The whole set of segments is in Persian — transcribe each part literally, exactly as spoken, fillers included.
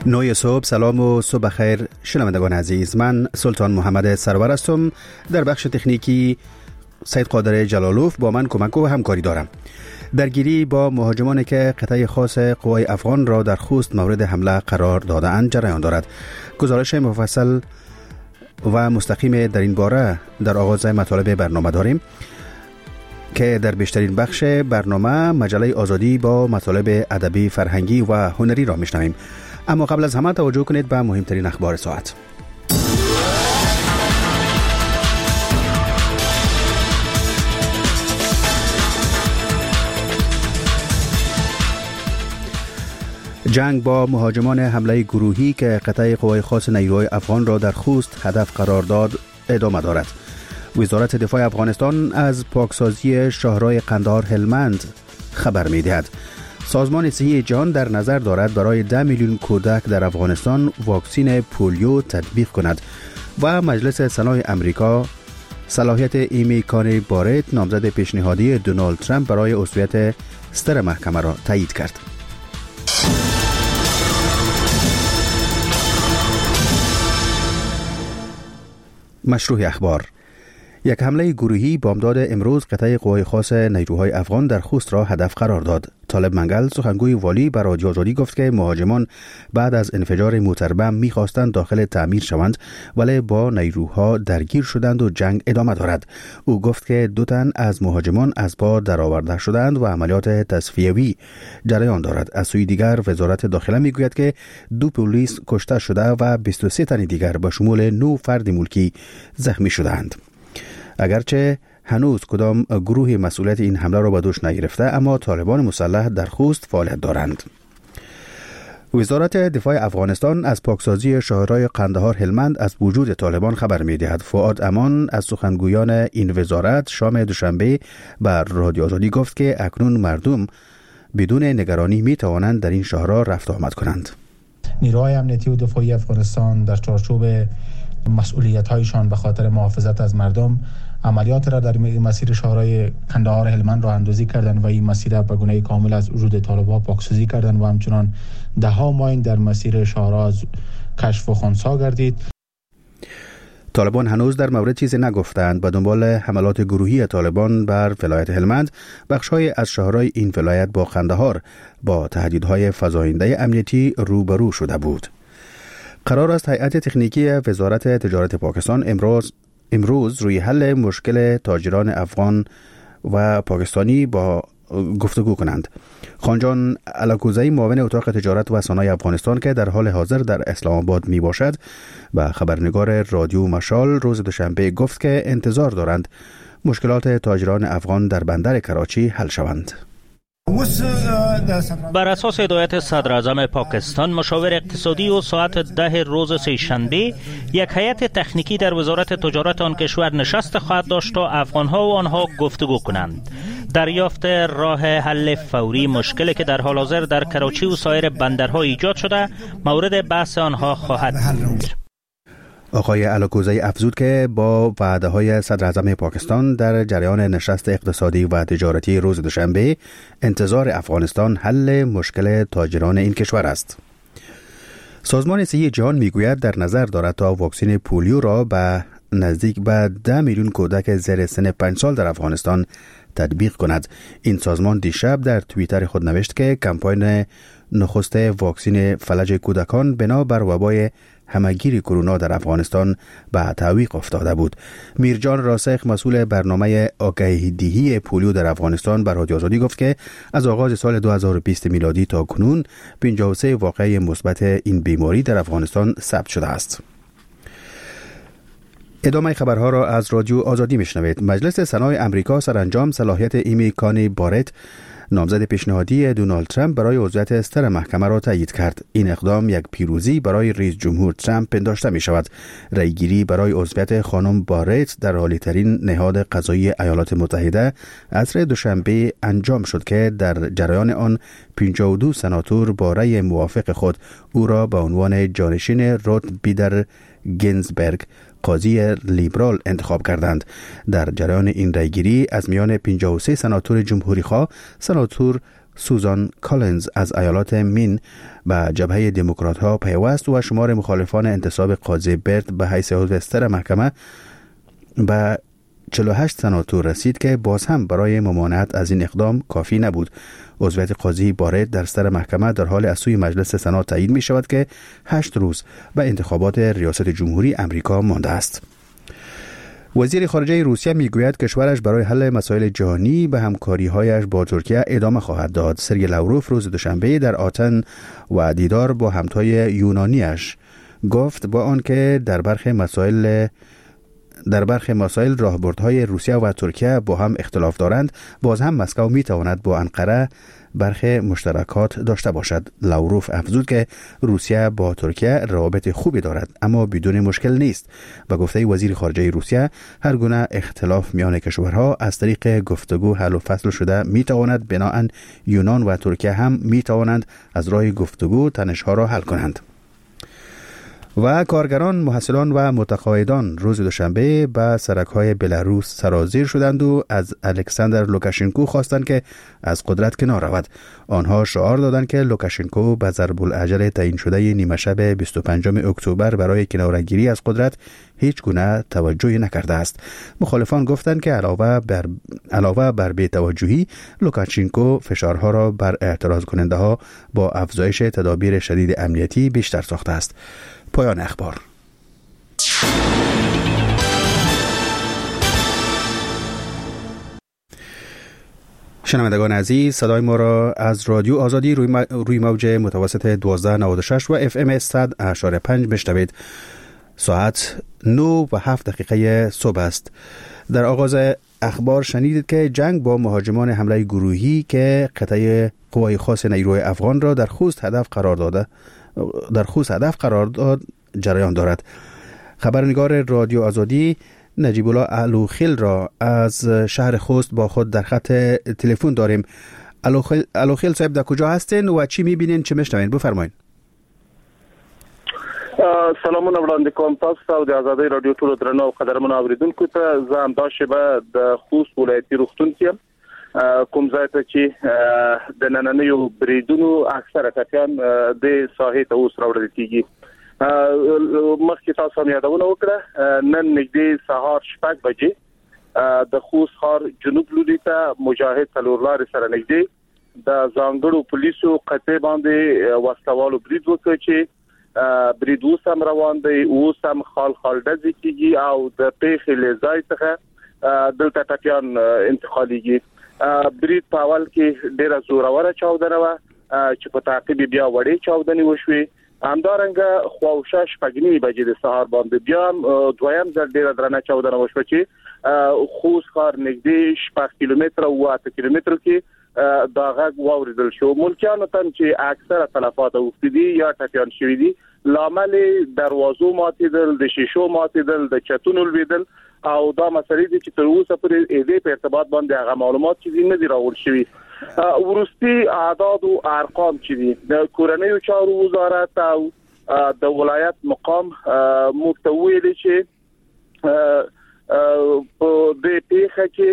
نوی صبح، سلام و صبح خیر شنوندگان عزیز. من سلطان محمد سرور هستم. در بخش تکنیکی سید قادر جلالوف با من کمک و همکاری دارم. درگیری با مهاجمانی که قطعه خاص قوای افغان را در خوست مورد حمله قرار داده‌اند جریان دارد. گزارش مفصل و مستقیم در این باره در آغاز مطالب برنامه داریم که در بیشترین بخش برنامه مجله آزادی با مطالب ادبی، فرهنگی و هنری را میشنویم. اما قبل از همه توجه کنید به مهمترین اخبار ساعت. جنگ با مهاجمان حمله گروهی که قطعه قوای خاص نیروهای افغان را در خوست هدف قرار داد ادامه دارد. وزارت دفاع افغانستان از پاکسازی شاهراه قندهار هلمند خبر می‌دهد. سازمان صحی جهان در نظر دارد برای ده میلیون کودک در افغانستان واکسین پولیو تطبیق کند. و مجلس سنای امریکا صلاحیت ایمی کانی بارت نامزد پیشنهادی دونالد ترامپ برای عضویت ستر محکمه را تایید کرد. مشروح اخبار. یک حمله گروهی بامداد امروز قطعه قوای خاص نیروهای افغان در خوست را هدف قرار داد. طالب منگل سخنگوی والی بر رادیو آزادی گفت که مهاجمان بعد از انفجار موتربم می‌خواستند داخل تعمیر شوند ولی با نیروها درگیر شدند و جنگ ادامه دارد. او گفت که دو تن از مهاجمان از پا درآورده شدند و عملیات تصفیوی جریان دارد. از سوی دیگر وزارت داخله میگوید که دو پلیس کشته شده و بیست و سه تن دیگر به شمول نه فرد ملکی زخمی شدند. اگرچه هنوز کدام گروه مسئولیت این حمله را به دوش نگرفته، اما طالبان مسلح در خوست فعالیت دارند. وزارت دفاع افغانستان از پاکسازی شاهراه قندهار هلمند از وجود طالبان خبر می‌دهد. فؤاد امان از سخنگویان این وزارت شام دوشنبه بر رادیو آزادی گفت که اکنون مردم بدون نگرانی می‌توانند در این شاهراه رفت آمد کنند. نیروهای امنیتی و دفاعی افغانستان در چارچوب مسئولیت‌هایشان به خاطر محافظت از مردم عملیات را در مسیر شاهراه قندهار هلمند را اندازی کردند و این مسیر را به گونه کامل از وجود طالبان پاکسازی کردند و همچنان ده ها ماین در مسیر شاهراه از کشف و خنثی گردید. طالبان هنوز در مورد چیزی نگفتند. به دنبال حملات گروهی طالبان بر ولایت هلمند، بخش‌های از شهرهای این ولایت با قندهار با تهدیدهای فزاینده امنیتی روبرو شده بود. قرار است هیئت تکنیکی وزارت تجارت پاکستان امروز امروز روی حل مشکل تاجران افغان و پاکستانی با گفتگو کنند. خانجان الاکوزایی معاون اتاق تجارت و صنایع افغانستان که در حال حاضر در اسلام آباد می باشد و خبرنگار رادیو مشال روز دوشنبه گفت که انتظار دارند مشکلات تاجران افغان در بندر کراچی حل شوند. بر اساس هدایت صدر اعظم پاکستان، مشاور اقتصادی و ساعت ده روز سه‌شنبه یک هیئت تکنیکی در وزارت تجارت آن کشور نشست خواهد داشت تا افغانها و آنها گفتگو کنند. دریافت راه حل فوری مشکلی که در حال حاضر در کراچی و سایر بندرها ایجاد شده مورد بحث آنها خواهد بود. آقای الاکوزایی افزود که با وعده های صدر اعظم پاکستان در جریان نشست اقتصادی و تجارتی روز دوشنبه انتظار افغانستان حل مشکل تاجران این کشور است. سازمان صحی جهان میگوید در نظر دارد تا واکسن پولیو را به نزدیک به ده میلیون کودک زیر سن پنج سال در افغانستان تطبیق کند. این سازمان دیشب در توییتر خود نوشت که کمپاین نخست واکسن فلج کودکان بنا بر وبای همگیری کرونا در افغانستان به تعویق افتاده بود. میرجان راسخ مسئول برنامه آگاهی دهی پولیو در افغانستان بر رادیو آزادی گفت که از آغاز سال دو هزار و بیست میلادی تا کنون پنجاه و سه واقعه مثبت این بیماری در افغانستان ثبت شده است. ادامه خبرها را از رادیو آزادی میشنوید. مجلس سنای امریکا سرانجام صلاحیت ایمی کانی بارت نامزد پیشنهادی دونالد ترامپ برای عضویت ستر محکمه را تایید کرد. این اقدام یک پیروزی برای رئیس جمهور ترامپ پنداشته می شود. رأیگیری برای عضویت خانم بارت در عالی‌ترین نهاد قضایی ایالات متحده عصر دوشنبه انجام شد که در جریان آن پنجاه و دو سناتور با رأی موافق خود او را به عنوان جانشین روت بیدر گینزبرگ قاضی لیبرال انتخاب کردند. در جریان این رأیگیری از میان پنجاه و سه سناتور جمهوری خواه، سناتور سوزان کالینز از ایالات مین به جبهه دموکرات ها پیوست و شمار مخالفان انتصاب قاضی برت به حیث عضو ستره محکمه به چهل و هشت سناتور رسید که باز هم برای ممانعت از این اقدام کافی نبود. عضویت قاضی بارت در ستره محکمه در حال از سوی مجلس سنا تایید می شود که هشت روز به انتخابات ریاست جمهوری امریکا مانده است. وزیر خارجه روسیه میگوید کشورش برای حل مسائل جهانی به همکاری‌هایش با ترکیه ادامه خواهد داد. سرگئی لاوروف روز دوشنبه در آتن و دیدار با همتای یونانیش گفت با آنکه در برخی مسائل در برخی مسائل راهبردهای روسیه و ترکیه با هم اختلاف دارند، باز هم مسکو میتواند با انقره برخی مشترکات داشته باشد. لاوروف افزود که روسیه با ترکیه روابط خوبی دارد اما بدون مشکل نیست. و گفته وزیر خارجه روسیه هر گونه اختلاف میان کشورها از طریق گفتگو حل و فصل شده میتواند، بناءً یونان و ترکیه هم میتوانند از راه گفتگو تنشها را حل کنند. و کارگران، محصلان و متقاعدان روز دوشنبه به سرک‌های بلاروس سرازیر شدند و از الکساندر لوکاشنکو خواستند که از قدرت کنار رود. آنها شعار دادند که لوکاشنکو به ضرب الاجل تعیین شده نیمه شب بیست و پنجم اکتبر برای کناره‌گیری از قدرت هیچ گونه توجهی نکرده است. مخالفان گفتند که علاوه بر علاوه بر بی‌توجهی، لوکاشنکو فشارها را بر اعتراض کننده ها با افزایش تدابیر شدید امنیتی بیشتر ساخته است. پایان اخبار. شنوندگان عزیز، صدای ما را از رادیو آزادی روی, روی موج متوسط دوازده نود و شش و اف ام صد اعشاریه پنج بشنوید. ساعت نه و هفت دقیقه صبح است. در آغاز اخبار شنیدید که جنگ با مهاجمان حمله گروهی که قطعه قوای خاص نیروی افغان را در خوست هدف قرار داده در خوست هدف قرار داد جریان دارد. خبرنگار رادیو آزادی نجیب الله الوخیل را از شهر خوست با خود در خط تلفن داریم. الوخیل صاحب، در کجا هستین و چی میبینین، چه میشنوین؟ بفرمایین. سلامونه وړاندې کوم تاسو ته او د ازادۍ رادیو ټولو درنو او قدرمنو اوریدونکو ته. زه همدا شېبه د خوست ولایتي روغتون کې یم، کوم ځای ته چې د نننیو بریدونو اکثره ټپیان د ساحې ته اوس راوړل کېږي. مخکې تاسو هم یادونه وکړه، نن نږدې سهار شپږ بجې د خوست ښار جنوب لوري ته مجاهد څلور لارې سره نږدې د ځانګړو پولیسو قطعې باندې وسلهوالو برید وکړ چې برید اوس هم روان دی، اوس هم خال خال ډزې کېږي او د پېښې له ځای څخه دلته ټپیان انتقالېږي. برید په اول کې ډېره زوروره چاودنه وه چې په تعقیب یې بیا وړې چاودنې وشوې. همدارنګه خواوشا شپږ نیمې بجې د سهار باندې بیا هم دویم ځل ډېره درنه چاودنه وشوه چې خوست ښار نږدې شپږ کیلومتره او اته کیلومترو کې دا غږ واورېدل شو. ملکیانو ته چې اکثره تلفات اوښتي دي یا ټپیان شوي دي، لامل یې دروازو ماتېدل، د شیشو ماتېدل، د چتونو لوېدل او دا مسلې دي چې تر اوسه پورې دې په ارتباط باندې هغه معلومات چې دي نه دي راوړل شوي. وروستي اعداد او ارقام چې دي د کورنیو چارو وزارت او د ولایت مقام موږ ته ویلي چې په دې پېښه کې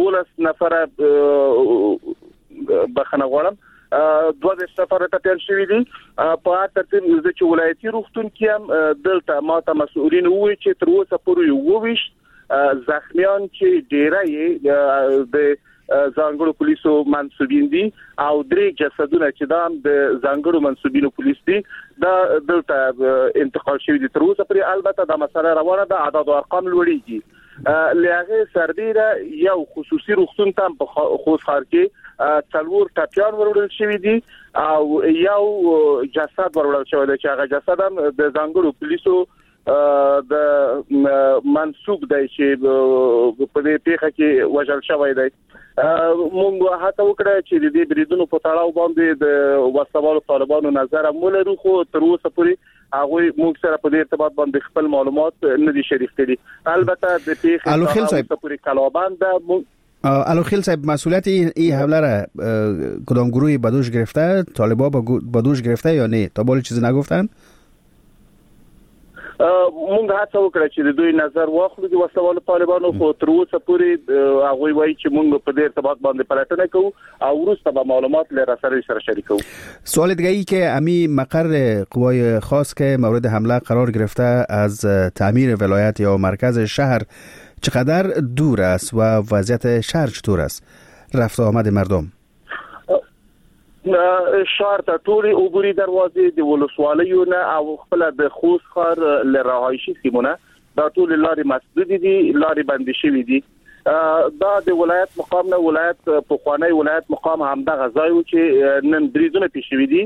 دولس نفره بخښنه غواړم دوه دېرش نفره ټپیان شوي دي. په هر ترتیب زه چې ولایتي روغتون کې یم، دلته ما ته مسؤلین وویل چې تر اوسه پورې یوویشت زخمیان چې ډیری یې د ځانګړو پولیسو منسوبین دي او درې جسدونه چې دا هم د ځانګړو منسوبینو پولیس دي دا دلته انتقال شوي دي تر اوسه پورې. البته دا مسله روانه ده، اعداد او ارقام لوړېږي. له هغې سربېره یو خصوصي روغتون ته هم په خوست ښار کې څلور ټپیان وروړل شوي دي او یو جسد وروړل شوی دی چې هغه جسد هم د ځانګړو پولیسو د منسوب دی چې په دې پېښه کې وژل شوی دی. مونږ هڅه وکړه چې د دې بریدونو په تړاو باندې د وسلهوالو طالبانو نظر هم ولرو، خو تر اوسه پورې هغوی موږ سره په دې ارتباط باندې خپل معلومات نه دي شریک کړي. البته د پېښې پورې کلابند ده. الوخیل صاحب، مسئولیت این حمله را کدام گروهی به دوش گرفته؟ طالبا به دوش گرفته یا نه؟ تا بالا چیزی نگفتن؟ مونږ هڅه وکړه چې د دوی نظر واخلو د وسلوالو طالبانو، خو تر اوسه پورې هغوی وایي چې مونږ په دې ارتباط باندې پلټنه کوو او وروسته به معلومات له رسنیو سره شریکوو. سوال دیگه ای که امی مقر قوای خاص که مورد حمله قرار گرفته از تعمیر ولایت یا مرکز شهر چقدر دور است و وضعیت شهر چطور است؟ رفت آمد مردم؟ ښار ته ټولې عبوري دروازې د ولسوالیو نه او خپله د خوست ښار له رهایشي سیمو نه دا ټولې لارې مسدودې دي، لارې بندې شوې دي. دا د ولایت مقام نه ولایت پخوانی ولایت مقام همدغه ځای و چې نن بریدونه پېښ شوي دي.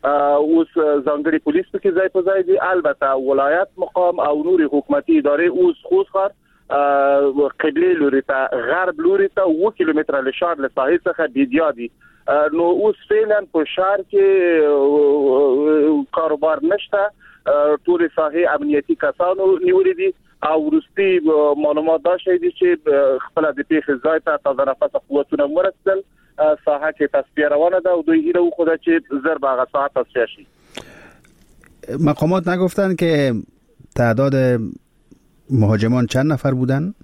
اوس ځانګړي پولیس پکې ځای په ځای دي. البته ولایت مقام او نورې حکومتي ادارې اوس خوست ښار قبلې لوري ته، غرب لوري ته اووه کیلومتره له ښار له ساحې څخه بیدیا دي. نو اوس فعلا په ښار کې کاروبار نشته، ټولې ساحې امنیتي کسانو نیولې دي او وروستي معلومات دا ښیي دي چې خپله د پېښې ځای ته تازه نفسه قوتونه ورسېدل، ساحه کې تصفیه روانه ده او دوی هیله وښوده چې زر به هغه ساحه تصفیه شي. مقامات نگفتن که تعداد مهاجمان چند نفر بودن؟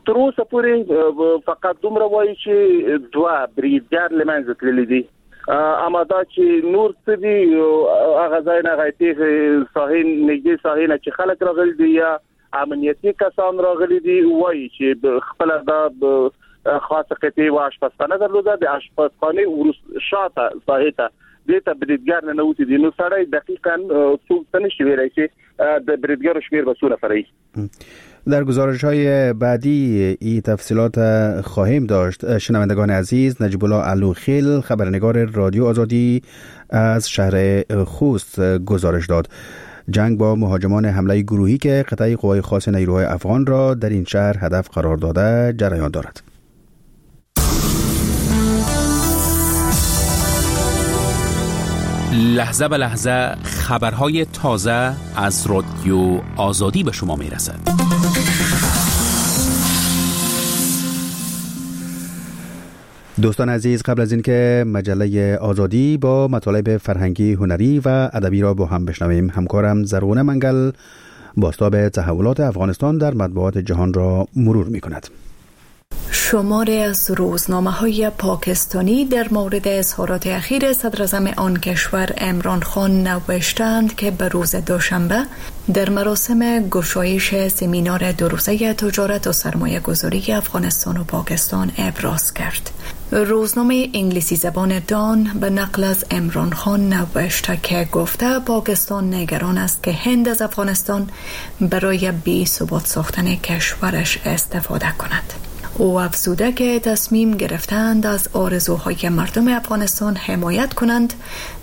تر اوسه پورې فقط دومره وایي چې دوه بریدګر له منځه تللي دي، اما دا چې نور څه دي هغه ځای نه هغه پېښې ساحې نږدې ساحې نه چې خلک راغلي دي یا امنیتي کسان راغلي دي وایي چې خپله دا خاصه قطعې و آشپزخانه درلوده، د آشپزخانې وروسته شاته ساحې ته دې ته بریدګر ننوتي دي. نو سړی دقیقا څوک څه نشي ویلی چې د بریدګرو شمېر به څو نفره وي. در گزارش های بعدی این تفصیلات خواهیم داشت. شنوندگان عزیز، نجیب الله علوخیل خبرنگار رادیو آزادی از شهر خوست گزارش داد. جنگ با مهاجمان حمله گروهی که قطعه قوای خاص نیروهای افغان را در این شهر هدف قرار داده جریان دارد. لحظه به لحظه خبرهای تازه از رادیو آزادی به شما میرسد. دوستان عزیز، قبل از اینکه مجله آزادی با مطالب فرهنگی، هنری و ادبی را با هم بشنویم، همکارم زرغونه منگل بازتاب تحولات افغانستان در مطبوعات جهان را مرور می‌کند. شماری از روزنامه‌های پاکستانی در مورد اظهارات اخیر صدراعظم آن کشور عمران خان نوشتند که به روز دوشنبه در مراسم گشایش سمینار دو روزه تجارت و سرمایه گذاری افغانستان و پاکستان ابراز کرد. روزنامه انگلیسی زبان دان به نقل از عمران خان نوشته که گفته پاکستان نگران است که هند از افغانستان برای بی ثبات ساختن کشورش استفاده کند. او افزوده که تصمیم گرفتند از آرزوهای مردم افغانستان حمایت کنند،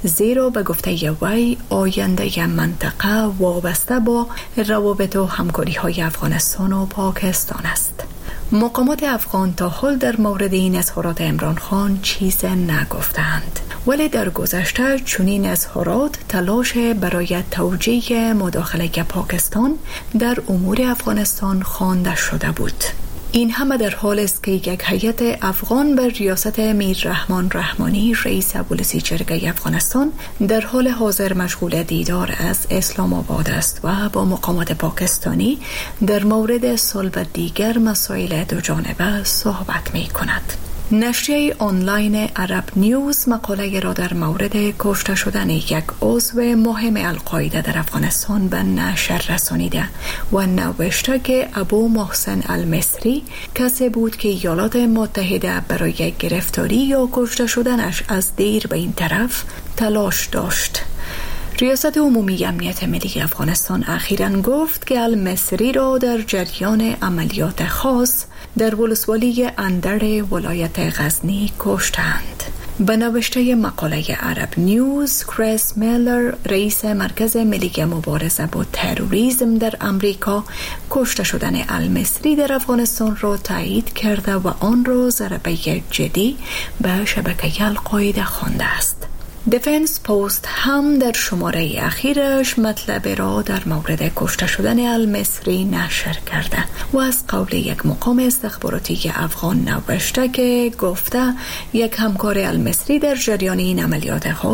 زیرا به گفته وی آینده منطقه وابسته با روابط و همکاری‌های افغانستان و پاکستان است. مقامات افغان تا حال در مورد این اظهارات عمران خان چیز نگفتند، ولی در گذشته چنین اظهارات تلاش برای توجیه مداخله پاکستان در امور افغانستان خوانده شده بود. این همه در حال است که یک هیئت افغان بر ریاست میر رحمان رحمانی رئیس ولسی جرگه افغانستان در حال حاضر مشغول دیدار از اسلام آباد است و با مقامات پاکستانی در مورد صلح و دیگر مسائل دو جانبه صحبت می کند. نشریه آنلاین عرب نیوز مقاله را در مورد کشته شدن یک عضو مهم القاعده در افغانستان به نشر رسانیده و نوشته که ابو محسن المصری کسی بود که ایالات متحده برای گرفتاری یا کشته شدنش از دیر به این طرف تلاش داشت. ریاست عمومی امنیت ملی افغانستان اخیراً گفت که المصری را در جریان عملیات خاص در ولسوالی اندر ولایت غزنی کشتند. به نوشته مقاله عرب نیوز، کریس میلر رئیس مرکز ملی مبارزه با تروریسم در امریکا کشته شدن المصری در افغانستان را تایید کرده و آن را ضربه جدی به شبکه القاعده خوانده است. دیفنس پست هم در شماره اخیرش مطلب را در مورد کشته شدن المصری نشر کرده و از قول یک مقام استخباراتی افغان نوشته که گفته یک همکار المصری در جریان این عملیات ها